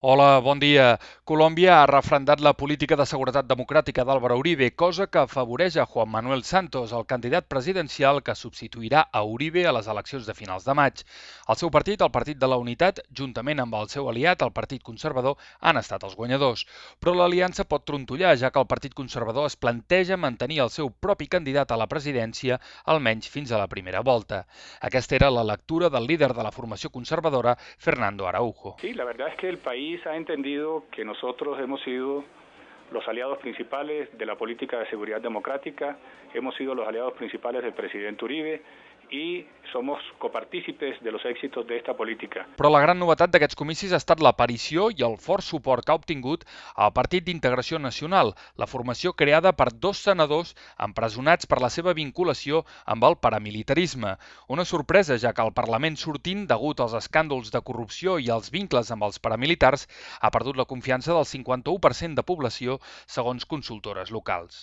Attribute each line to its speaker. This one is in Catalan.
Speaker 1: Hola, bon dia. Colòmbia ha refrendat la política de seguretat democràtica d'Álvaro Uribe, cosa que afavoreix a Juan Manuel Santos, el candidat presidencial que substituirà a Uribe a les eleccions de finals de maig. El seu partit, el Partit de la Unitat, juntament amb el seu aliat, el Partit Conservador, han estat els guanyadors. Però l'aliança pot trontollar, ja que el Partit Conservador es planteja mantenir el seu propi candidat a la presidència, almenys fins a la primera volta. Aquesta era la lectura del líder de la formació conservadora, Fernando Araujo.
Speaker 2: Sí, la verdad es que el país ha entendido que nosotros hemos sido los aliados principales de la política de seguridad democrática, hemos sido los aliados principales del presidente Uribe y somos copartícipes de los éxitos de esta política.
Speaker 1: Però la gran novetat d'aquests comicis ha estat l'aparició i el fort suport que ha obtingut el Partit d'Integració Nacional, la formació creada per dos senadors empresonats per la seva vinculació amb el paramilitarisme. Una sorpresa, ja que el Parlament sortint, degut als escàndols de corrupció i als vincles amb els paramilitars, ha perdut la confiança del 51% de població, segons consultores locals.